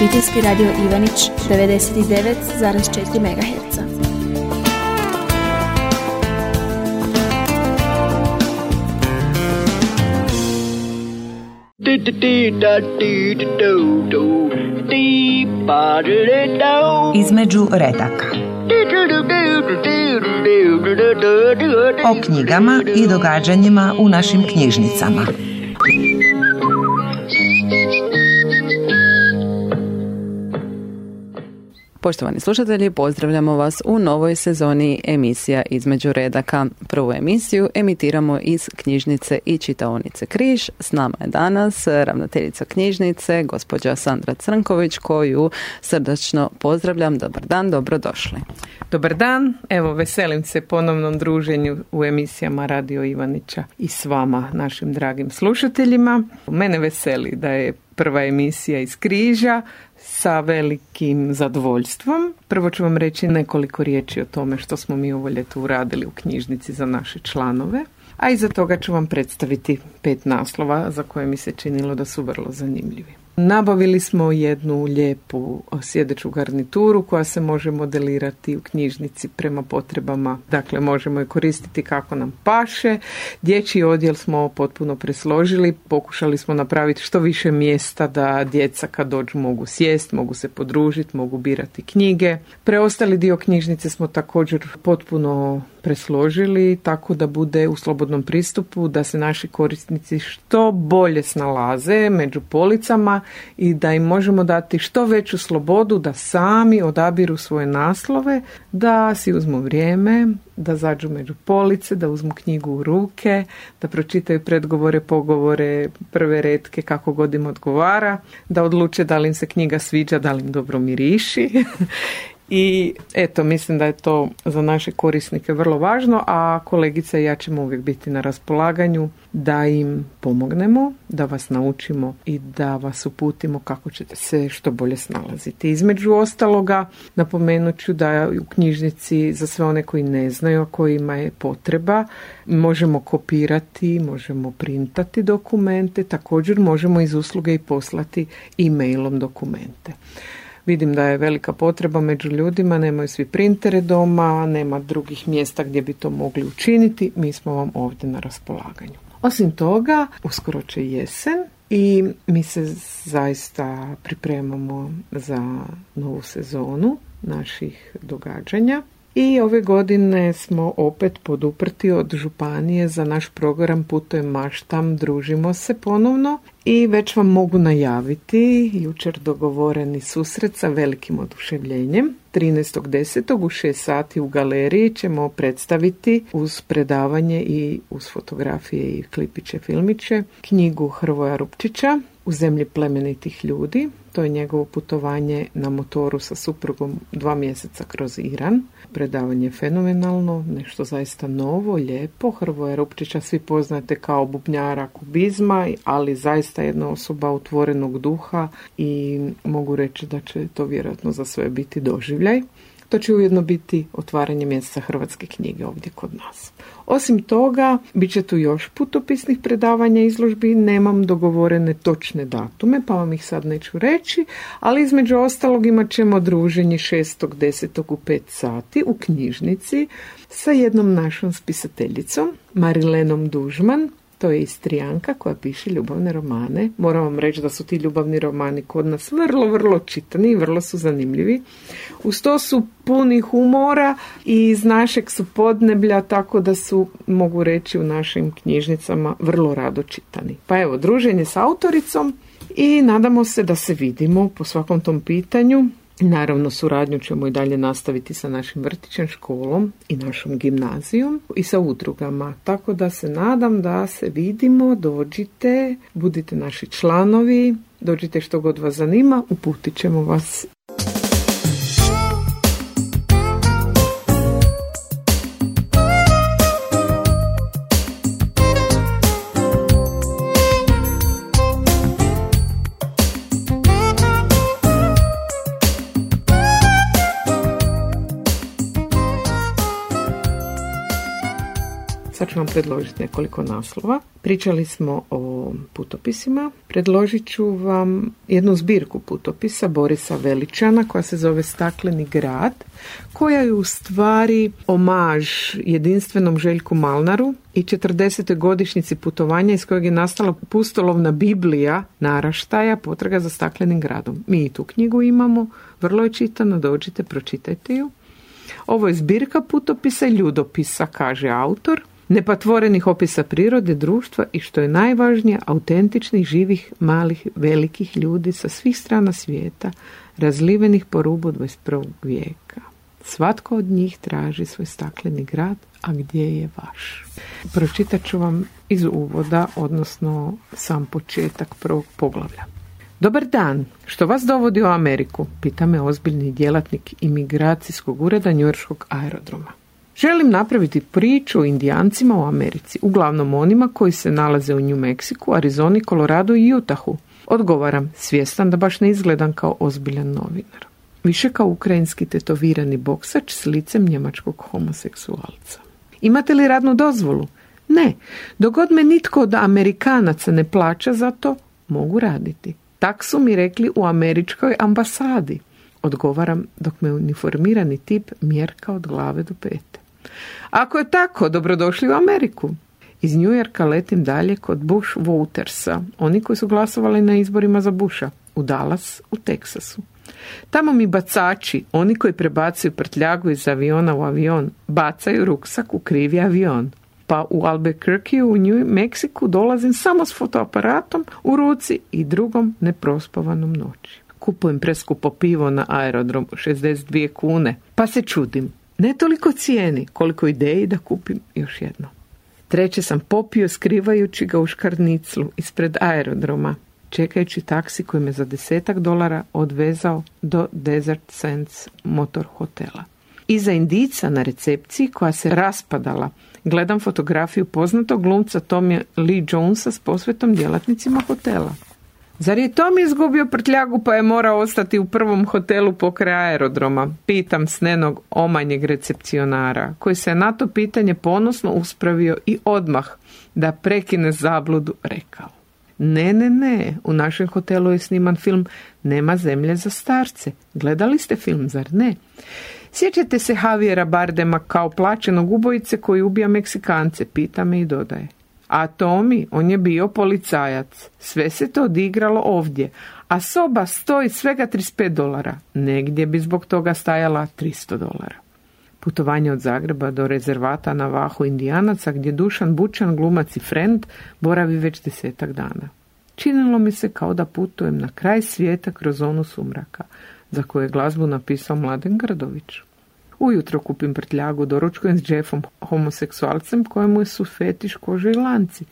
Obiteljski radio Ivanić 99,4 MHz. Između redaka. O knjigama i događanjima u našim knjižnicama. Poštovani slušatelji, pozdravljamo vas u novoj sezoni emisija Između redaka. Prvu emisiju emitiramo iz knjižnice i čitaonice Križ. S nama je danas ravnateljica knjižnice, gospođa Sandra Crnković, koju srdačno pozdravljam. Dobar dan, dobrodošli. Dobar dan, evo veselim se ponovnom druženju u emisijama Radio Ivanića i s vama, našim dragim slušateljima. Mene veseli da je prva emisija iz Križa sa velikim zadovoljstvom. Prvo ću vam reći nekoliko riječi o tome što smo mi ovo ljeto uradili u knjižnici za naše članove, a iza toga ću vam predstaviti 5 naslova za koje mi se činilo da su vrlo zanimljivi. Nabavili smo jednu lijepu sjedeću garnituru koja se može modelirati u knjižnici prema potrebama, dakle možemo je koristiti kako nam paše. Dječji odjel smo potpuno presložili, pokušali smo napraviti što više mjesta da djeca kad dođu mogu sjesti, mogu se podružiti, mogu birati knjige. Preostali dio knjižnice smo također potpuno presložili tako da bude u slobodnom pristupu, da se naši korisnici što bolje snalaze među policama i da im možemo dati što veću slobodu da sami odabiru svoje naslove, da si uzmu vrijeme, da zađu među police, da uzmu knjigu u ruke, da pročitaju predgovore, pogovore, prve retke kako god im odgovara, da odluče da li im se knjiga sviđa, da li im dobro miriši. I eto, mislim da je to za naše korisnike vrlo važno, a kolegica i ja ćemo uvijek biti na raspolaganju da im pomognemo, da vas naučimo i da vas uputimo kako ćete se što bolje snalaziti. Između ostaloga, napomenut ću da u knjižnici za sve one koji ne znaju, a kojima je potreba, možemo kopirati, možemo printati dokumente, također možemo iz usluge i poslati e-mailom dokumente. Vidim da je velika potreba među ljudima, nemaju svi printere doma, nema drugih mjesta gdje bi to mogli učiniti, mi smo vam ovdje na raspolaganju. Osim toga, uskoro će jesen i mi se zaista pripremamo za novu sezonu naših događanja. I ove godine smo opet poduprti od županije za naš program Putujem, maštam, družimo se ponovno i već vam mogu najaviti jučer dogovoreni susret sa velikim oduševljenjem. 13.10. u 6 sati u galeriji ćemo predstaviti uz predavanje i uz fotografije i klipiće, filmiće knjigu Hrvoja Rupčića U zemlji plemenitih ljudi. To je njegovo putovanje na motoru sa suprugom 2 mjeseca kroz Iran. Predavanje je fenomenalno, nešto zaista novo, lijepo. Hrvoja Rupčića svi poznate kao bubnjara kubizma, ali zaista jedna osoba otvorenog duha i mogu reći da će to vjerojatno za sve biti doživljaj. To će ujedno biti otvaranje mjeseca hrvatske knjige ovdje kod nas. Osim toga, bit će tu još putopisnih predavanja i izložbi, nemam dogovorene točne datume, pa vam ih sad neću reći, ali između ostalog imat ćemo druženje 6.10. u 5 sati u knjižnici sa jednom našom spisateljicom, Marilenom Dužman. To je Istrijanka koja piše ljubavne romane. Moram vam reći da su ti ljubavni romani kod nas vrlo, vrlo čitani i vrlo su zanimljivi. Uz to su puni humora i iz našeg su podneblja, tako da su, mogu reći, u našim knjižnicama vrlo rado čitani. Pa evo, druženje s autoricom i nadamo se da se vidimo po svakom tom pitanju. Naravno, suradnju ćemo i dalje nastaviti sa našim vrtićem, školom i našom gimnazijom i sa udrugama. Tako da se nadam da se vidimo, dođite, budite naši članovi, dođite što god vas zanima, uputit ćemo vas. Sa pa ću vam predložiti nekoliko naslova. Pričali smo o putopisima. Predložit ću vam jednu zbirku putopisa Borisa Veličana koja se zove Stakleni grad, koja je u stvari omaž jedinstvenom Željku Malnaru i 40. godišnjici putovanja iz kojeg je nastala pustolovna Biblija naraštaja Potraga za staklenim gradom. Mi i tu knjigu imamo, vrlo je čitano, dođite, pročitajte ju. Ovo je zbirka putopisa i ljudopisa, kaže autor, nepatvorenih opisa prirode, društva i što je najvažnije, autentičnih, živih, malih, velikih ljudi sa svih strana svijeta, razlivenih po rubu 21. vijeka. Svatko od njih traži svoj stakleni grad, a gdje je vaš? Pročitat ću vam iz uvoda, odnosno sam početak prvog poglavlja. Dobar dan, što vas dovodi u Ameriku? Pita me ozbiljni djelatnik imigracijskog ureda njujorškog aerodroma. Želim napraviti priču o Indijancima u Americi, uglavnom onima koji se nalaze u New Mexiku, Arizoni, Koloradu i Utahu. Odgovaram, svjestan da baš ne izgledam kao ozbiljan novinar. Više kao ukrajinski tetovirani boksač s licem njemačkog homoseksualca. Imate li radnu dozvolu? Ne, dok god me nitko od Amerikanaca ne plaća za to, mogu raditi. Tak su mi rekli u američkoj ambasadi. Odgovaram dok me uniformirani tip mjerka od glave do pete. Ako je tako, dobrodošli u Ameriku. Iz New Yorka letim dalje kod Bush Votersa, oni koji su glasovali na izborima za Busha, u Dallas, u Teksasu. Tamo mi bacači, oni koji prebacuju prtljagu iz aviona u avion, bacaju ruksak u krivi avion. Pa u Albuquerque u New Mexiku dolazim samo s fotoaparatom u ruci i drugom neprospavanom noći. Kupujem preskupo pivo na aerodromu, 62 kune, pa se čudim. Ne toliko cijeni, koliko ideji da kupim još jedno. Treće sam popio skrivajući ga u škarniclu ispred aerodroma, čekajući taksi koji me za $10 odvezao do Desert Sands motor hotela. Iza indica na recepciji koja se raspadala, gledam fotografiju poznatog glumca Tommy Lee Jonesa s posvetom djelatnicima hotela. Zar je Tommy izgubio prtljagu pa je morao ostati u prvom hotelu pokraj aerodroma? Pitam snenog omanjeg recepcionara, koji se na to pitanje ponosno uspravio i odmah da prekine zabludu rekao. Ne, u našem hotelu je sniman film Nema zemlje za starce. Gledali ste film, zar ne? Sjećate se Javiera Bardema kao plaćenog ubojice koji ubija Meksikance, pita me i dodaje. A Tommy, on je bio policajac. Sve se to odigralo ovdje, a soba stoji svega $35. Negdje bi zbog toga stajala $300. Putovanje od Zagreba do rezervata na Vahu Indijanaca, gdje Dušan Bučan, glumac i friend, boravi već 10 dana. Činilo mi se kao da putujem na kraj svijeta kroz zonu sumraka, za koju je glazbu napisao Mladen Grdović. Ujutro kupim prtljagu, doručkujem s Jeffom, homoseksualcem kojemu su fetiš kože i lanci.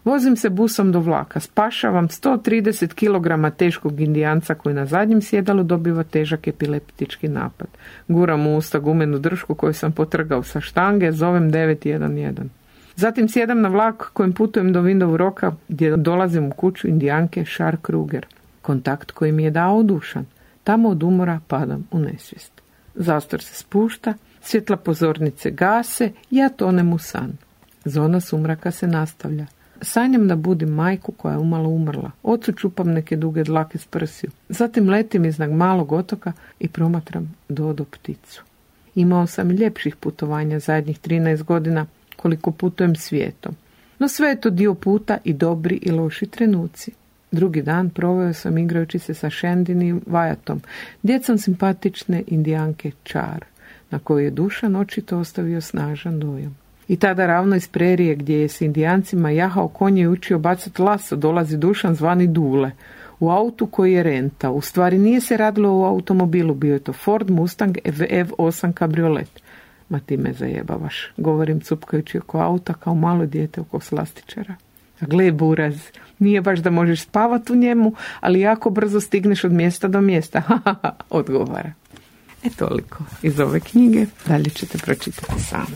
Vozim se busom do vlaka, spašavam 130 kg teškog Indijanca koji na zadnjem sjedalu dobiva težak epileptički napad. Guram u usta gumenu dršku koju sam potrgao sa štange, zovem 911. Zatim sjedam na vlak kojim putujem do Window Rocka gdje dolazim u kuću Indijanke Char Kruger. Kontakt koji mi je dao Dušan. Tamo od umora padam u nesvijest. Zastor se spušta, svjetla pozornice gase, ja tonem u san. Zona sumraka se nastavlja. Sanjam da budim majku koja je umalo umrla. Ocu čupam neke duge dlake s prsiju. Zatim letim iznad malog otoka i promatram Dodo pticu. Imao sam ljepših putovanja zadnjih 13 godina koliko putujem svijetom. No sve je to dio puta i dobri i loši trenuci. Drugi dan proveo sam igrajući se sa Shandin i Wyatom, djecom simpatične Indijanke Char, na koju je Dušan očito ostavio snažan dojam. I tada ravno iz prerije gdje je s Indijancima jahao konje i učio bacati laso dolazi Dušan zvani Dule, u autu koji je rentao. U stvari nije se radilo o automobilu, bio je to Ford Mustang EV8 kabriolet. Ma ti me zajebavaš, govorim cupkajući oko auta kao malo dijete oko slastičara. A gle buraz, nije baš da možeš spavati u njemu, ali jako brzo stigneš od mjesta do mjesta. Odgovara. Toliko iz ove knjige, dalje ćete pročitati sami.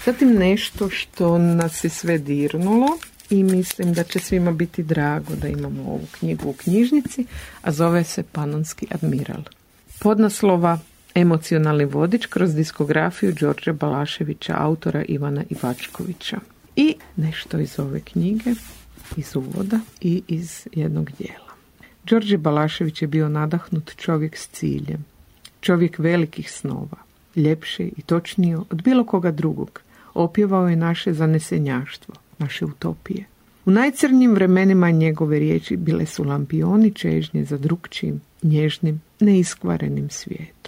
Zatim nešto što nas je sve dirnulo i mislim da će svima biti drago da imamo ovu knjigu u knjižnici, a zove se Panonski admiral. Podnaslova Emocionalni vodič kroz diskografiju Đorđa Balaševića, autora Ivana Ivačkovića. I nešto iz ove knjige, iz uvoda i iz jednog dijela. Đorđe Balašević je bio nadahnut čovjek s ciljem, čovjek velikih snova, ljepše i točnije od bilo koga drugog. Opjevao je naše zanesenjaštvo, naše utopije. U najcrnjim vremenima njegove riječi bile su lampioni čežnje za drukčijim, nježnim, neiskvarenim svijetom.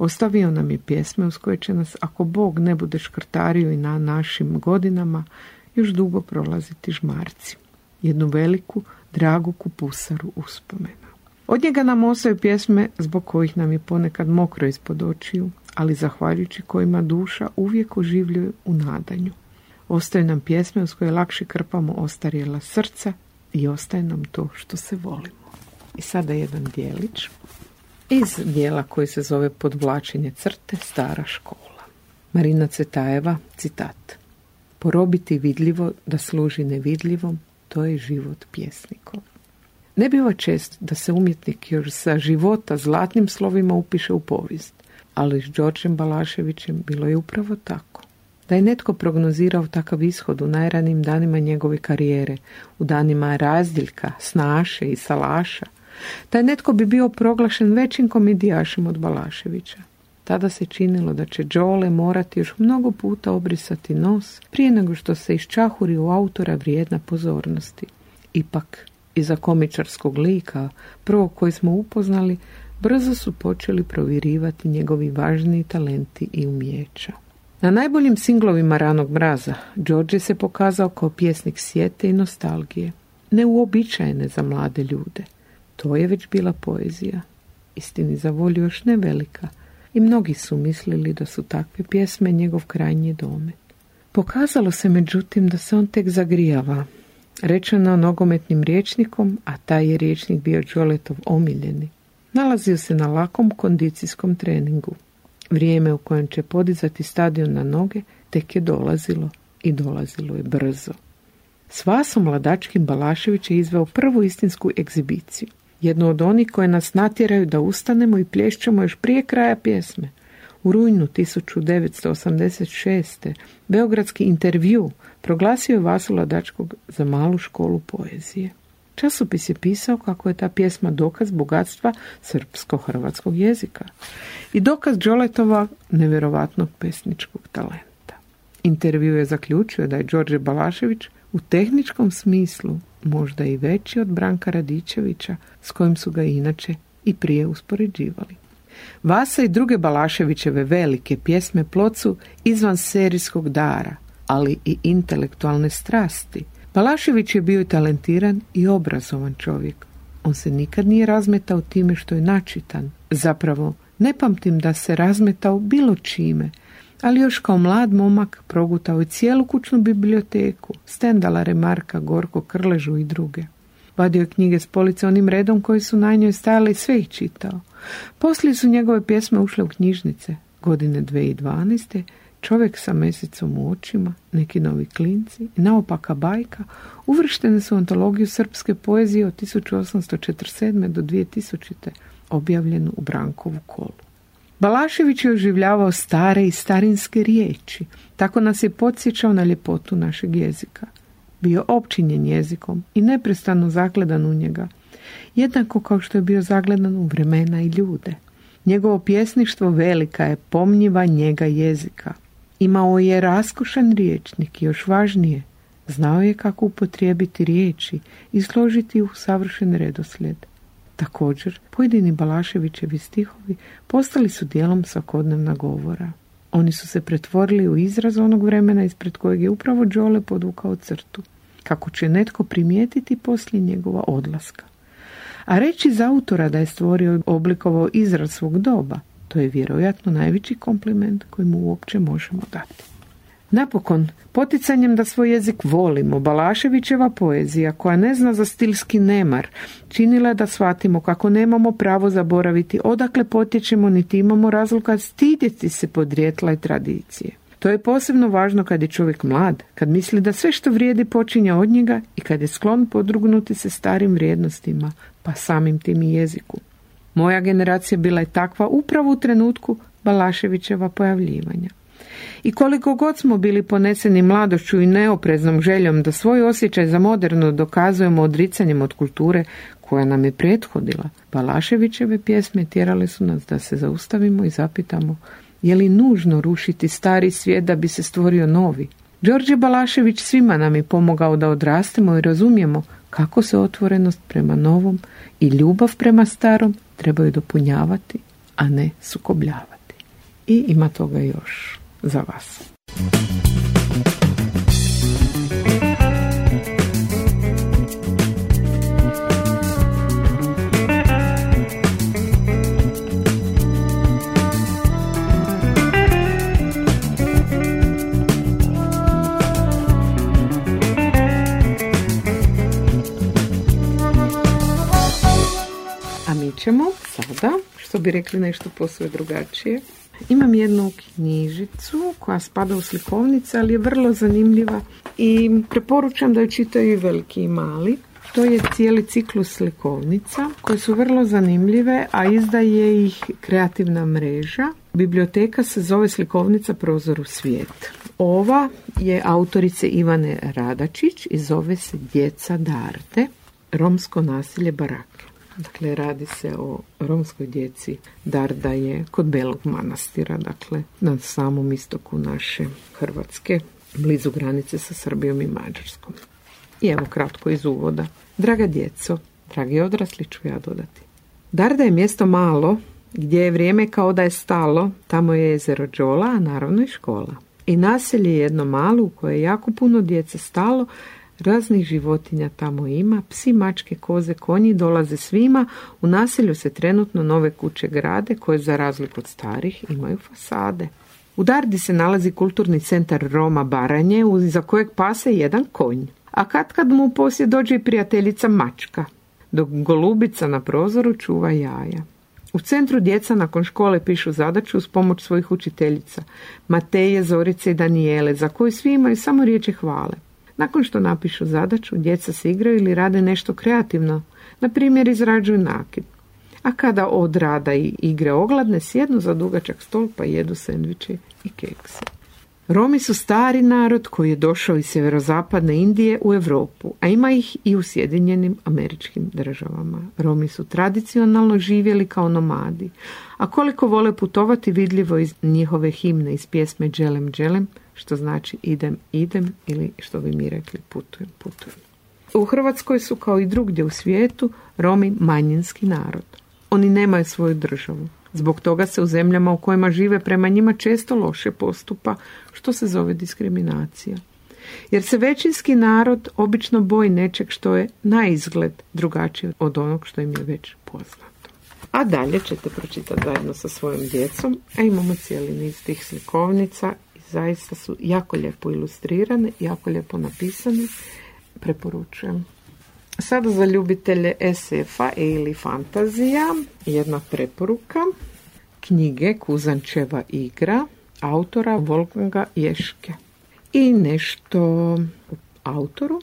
Ostavio nam je pjesme uz koje će nas, ako Bog ne bude škrtario i na našim godinama, još dugo prolaziti žmarci. Jednu veliku, dragu kupusaru uspomena. Od njega nam ostaju pjesme zbog kojih nam je ponekad mokro ispod očiju, ali zahvaljujući kojima duša uvijek oživljuje u nadanju. Ostaju nam pjesme uz koje lakše krpamo ostarjela srca i ostaje nam to što se volimo. I sada jedan dijelić iz dijela koji se zove Podvlačenje crte, stara škola. Marina Cvetajeva, citat. Porobiti vidljivo da služi nevidljivom, to je život pjesnikov. Ne biva čest da se umjetnik još sa života zlatnim slovima upiše u povijest, ali s Đorđem Balaševićem bilo je upravo tako. Da je netko prognozirao takav ishod u najranijim danima njegove karijere, u danima razdjeljka, snaše i salaša, taj netko bi bio proglašen većim komedijašem od Balaševića. Tada se činilo da će Đole morati još mnogo puta obrisati nos prije nego što se iščahuri u autora vrijedna pozornosti. Ipak, iza komičarskog lika, prvog koji smo upoznali, brzo su počeli provirivati njegovi važniji talenti i umijeća. Na najboljim singlovima Ranog mraza Đorđe se pokazao kao pjesnik sjete i nostalgije, neuobičajene za mlade ljude. To je već bila poezija, istini za volju još ne velika, i mnogi su mislili da su takve pjesme njegov krajnji domet. Pokazalo se međutim da se on tek zagrijava, rečeno nogometnim rječnikom, a taj je rječnik bio Đoletov omiljeni. Nalazio se na lakom kondicijskom treningu. Vrijeme u kojem će podizati stadion na noge tek je dolazilo i dolazilo je brzo. S Vasom Mladačkim Balašević je izveo prvu istinsku egzibiciju. Jednu od onih koje nas natjeraju da ustanemo i plješćemo još prije kraja pjesme. U rujnu 1986. Beogradski intervju proglasio je Vasu Mladačkog za malu školu poezije. Časopis je pisao kako je ta pjesma dokaz bogatstva srpsko-hrvatskog jezika i dokaz Đoletova nevjerovatnog pesničkog talenta. Intervju je zaključio da je Đorđe Balašević u tehničkom smislu možda i veći od Branka Radičevića, s kojim su ga inače i prije uspoređivali. Vasa i druge Balaševićeve velike pjesme plod su izvan serijskog dara, ali i intelektualne strasti. Balašević je bio i talentiran i obrazovan čovjek. On se nikad nije razmetao time što je načitan. Zapravo, ne pamtim da se razmetao bilo čime, ali još kao mlad momak progutao je cijelu kućnu biblioteku, Stendala, Remarka, Gorko, Krležu i druge. Vadio je knjige s police onim redom koji su na njoj stajali i sve ih čitao. Poslije su njegove pjesme ušle u knjižnice. Godine 2012. Čovjek sa mesecom u očima, Neki novi klinci i Naopaka bajka uvrštene su u antologiju srpske poezije od 1847. do 2000. objavljenu u Brankovu kolu. Balašević je oživljavao stare i starinske riječi, tako nas je podsjećao na ljepotu našeg jezika. Bio opčinjen jezikom i neprestano zagledan u njega, jednako kao što je bio zagledan u vremena i ljude. Njegovo pjesništvo velika je pomnjiva njega jezika. Imao je raskošan riječnik i još važnije, znao je kako upotrijebiti riječi i složiti u savršen redoslijed. Također, pojedini Balaševićevi stihovi postali su dijelom svakodnevna govora. Oni su se pretvorili u izraz onog vremena ispred kojeg je upravo Đole podvukao crtu, kako će netko primijetiti poslije njegova odlaska. A reći za autora da je stvorio i oblikovao izraz svog doba, to je vjerojatno najveći kompliment koji mu uopće možemo dati. Napokon, poticanjem da svoj jezik volimo, Balaševićeva poezija, koja ne zna za stilski nemar, činila da shvatimo kako nemamo pravo zaboraviti odakle potječemo, niti imamo razloga stidjeti se podrijetla i tradicije. To je posebno važno kad je čovjek mlad, kad misli da sve što vrijedi počinje od njega i kad je sklon podvrgnuti se starim vrijednostima, pa samim tim i jeziku. Moja generacija bila je takva upravo u trenutku Balaševićeva pojavljivanja. I koliko god smo bili poneseni mladošću i neopreznom željom da svoj osjećaj za moderno dokazujemo odricanjem od kulture koja nam je prethodila, Balaševićeve pjesme tjerale su nas da se zaustavimo i zapitamo je li nužno rušiti stari svijet da bi se stvorio novi. Đorđe Balašević svima nam je pomogao da odrastemo i razumijemo kako se otvorenost prema novom i ljubav prema starom trebaju dopunjavati, a ne sukobljavati. I ima toga još za vas. A mi ćemo sada, što bi rekli, nešto posve drugačije. Imam jednu knjižicu koja spada u slikovnice, ali je vrlo zanimljiva i preporučam da ju čitaju i veliki i mali. To je cijeli ciklus slikovnica koje su vrlo zanimljive, a izdaje ih Kreativna mreža. Biblioteka se zove Slikovnica Prozor u svijet. Ova je autorice Ivane Radačić i zove se Djeca Darde, romsko nasilje Barake. Dakle, radi se o romskoj djeci. Darda je kod Belog Manastira, dakle, na samom istoku naše Hrvatske, blizu granice sa Srbijom i Mađarskom. I evo kratko iz uvoda. Draga djeco, dragi odrasli ću ja dodati. Darda je mjesto malo, gdje je vrijeme kao da je stalo, tamo je jezero Đola, a naravno i škola. I naselje je jedno malo u koje je jako puno djece stalo, raznih životinja tamo ima, psi, mačke, koze, konji dolaze svima, u naselju se trenutno nove kuće grade koje za razliku od starih imaju fasade. U Dardi se nalazi kulturni centar Roma Baranje, za kojeg pase jedan konj. A kad mu u posjed dođe i prijateljica mačka, dok golubica na prozoru čuva jaja. U centru djeca nakon škole pišu zadaću uz pomoć svojih učiteljica, Mateje, Zorice i Danijele, za koju svi imaju samo riječi hvale. Nakon što napišu zadaću, djeca se igraju ili rade nešto kreativno, na primjer izrađuju nakit. A kada od rada i igre ogladne, sjednu za dugačak stol pa jedu sendviče i kekse. Romi su stari narod koji je došao iz sjeverozapadne Indije u Europu, a ima ih i u Sjedinjenim Američkim Državama. Romi su tradicionalno živjeli kao nomadi, a koliko vole putovati vidljivo iz njihove himne, iz pjesme Dželem Dželem, što znači idem, idem, ili što bi mi rekli putujem, putujem. U Hrvatskoj su kao i drugdje u svijetu Romi manjinski narod. Oni nemaju svoju državu. Zbog toga se u zemljama u kojima žive prema njima često loše postupa, što se zove diskriminacija. Jer se većinski narod obično boji nečeg što je na izgled drugačije od onog što im je već poznato. A dalje ćete pročitati zajedno sa svojom djecom, a imamo cijeli niz tih slikovnica i zaista su jako lijepo ilustrirane, jako lijepo napisane. Preporučujem. Sada za ljubitelje SF-a ili fantazija jedna preporuka. Knjige Kuzančeva igra autora Wolfganga Jeschke. I nešto o autoru.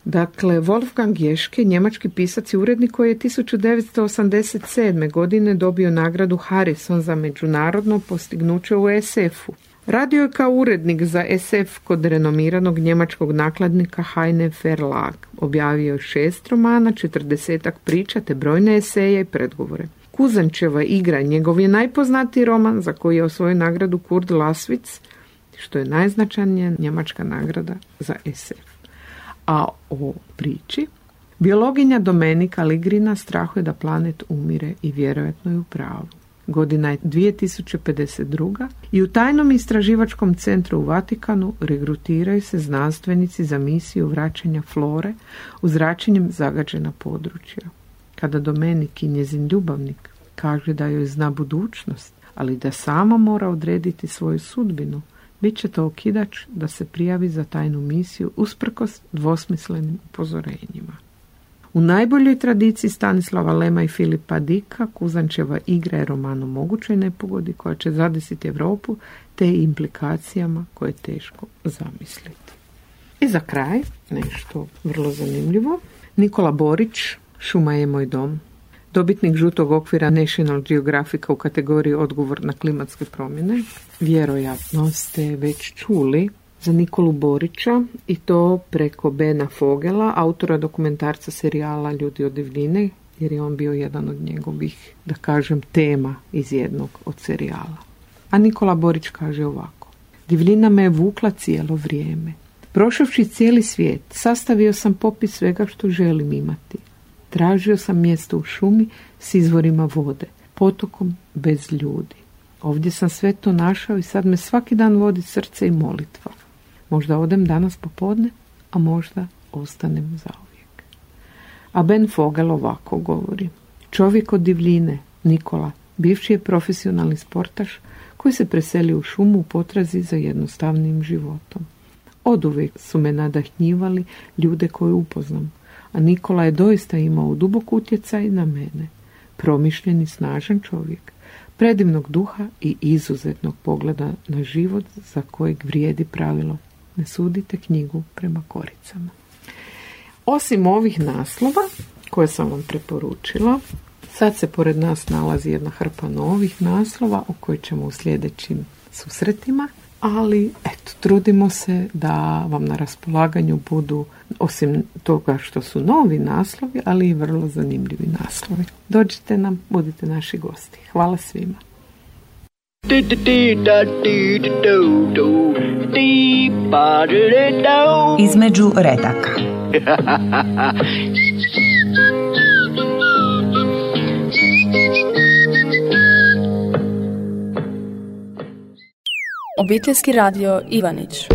Dakle, Wolfgang Jeschke, njemački pisac i urednik koji je 1987. godine dobio nagradu Harrison za međunarodno postignuće u SF-u. Radio je kao urednik za SF kod renomiranog njemačkog nakladnika Heine Verlag. Objavio je 6 romana, 40 priča te brojne eseje i predgovore. Kuzančeva igra njegov je najpoznatiji roman za koji je osvojio nagradu Kurt Laswitz, što je najznačajnija njemačka nagrada za SF. A o priči, biologinja Domenika Ligrina strahuje da planet umire i vjerojatno je u pravu. Godina je 2052. i u tajnom istraživačkom centru u Vatikanu regrutiraju se znanstvenici za misiju vraćanja flore u zračenjem zagađena područja. Kada Domenik i njezin ljubavnik kaže da joj zna budućnost, ali da sama mora odrediti svoju sudbinu, bit će to okidač da se prijavi za tajnu misiju usprkos dvosmislenim upozorenjima. U najboljoj tradiciji Stanislava Lema i Filipa Dicka, Kuzančeva igra je roman o mogućoj nepogodi koja će zadesiti Europu te implikacijama koje je teško zamisliti. I za kraj, nešto vrlo zanimljivo, Nikola Borić, Šuma je moj dom. Dobitnik žutog okvira National Geographica u kategoriji odgovor na klimatske promjene. Vjerojatno ste već čuli za Nikolu Borića i to preko Bena Fogela, autora dokumentarca serijala Ljudi od divljine, jer je on bio jedan od njegovih, da kažem, tema iz jednog od serijala. A Nikola Borić kaže ovako: divljina me je vukla cijelo vrijeme. Prošavši cijeli svijet, sastavio sam popis svega što želim imati. Tražio sam mjesto u šumi s izvorima vode, potokom bez ljudi. Ovdje sam sve to našao i sad me svaki dan vodi srce i molitva. Možda odem danas popodne, a možda ostanem zauvijek. A Ben Fogel ovako govori: čovjek od divljine, Nikola, bivši je profesionalni sportaš koji se preselio u šumu u potrazi za jednostavnim životom. Oduvijek su me nadahnjivali ljude koje upoznam, a Nikola je doista imao dubok utjecaj na mene. Promišljen i snažan čovjek, predivnog duha i izuzetnog pogleda na život za kojeg vrijedi pravilo: ne sudite knjigu prema koricama. Osim ovih naslova koje sam vam preporučila, sad se pored nas nalazi jedna hrpa novih naslova o kojoj ćemo u sljedećim susretima, ali eto, trudimo se da vam na raspolaganju budu, osim toga što su novi naslovi, ali i vrlo zanimljivi naslovi. Dođite nam, budite naši gosti. Hvala svima. Između redaka. Obiteljski radio Ivanić.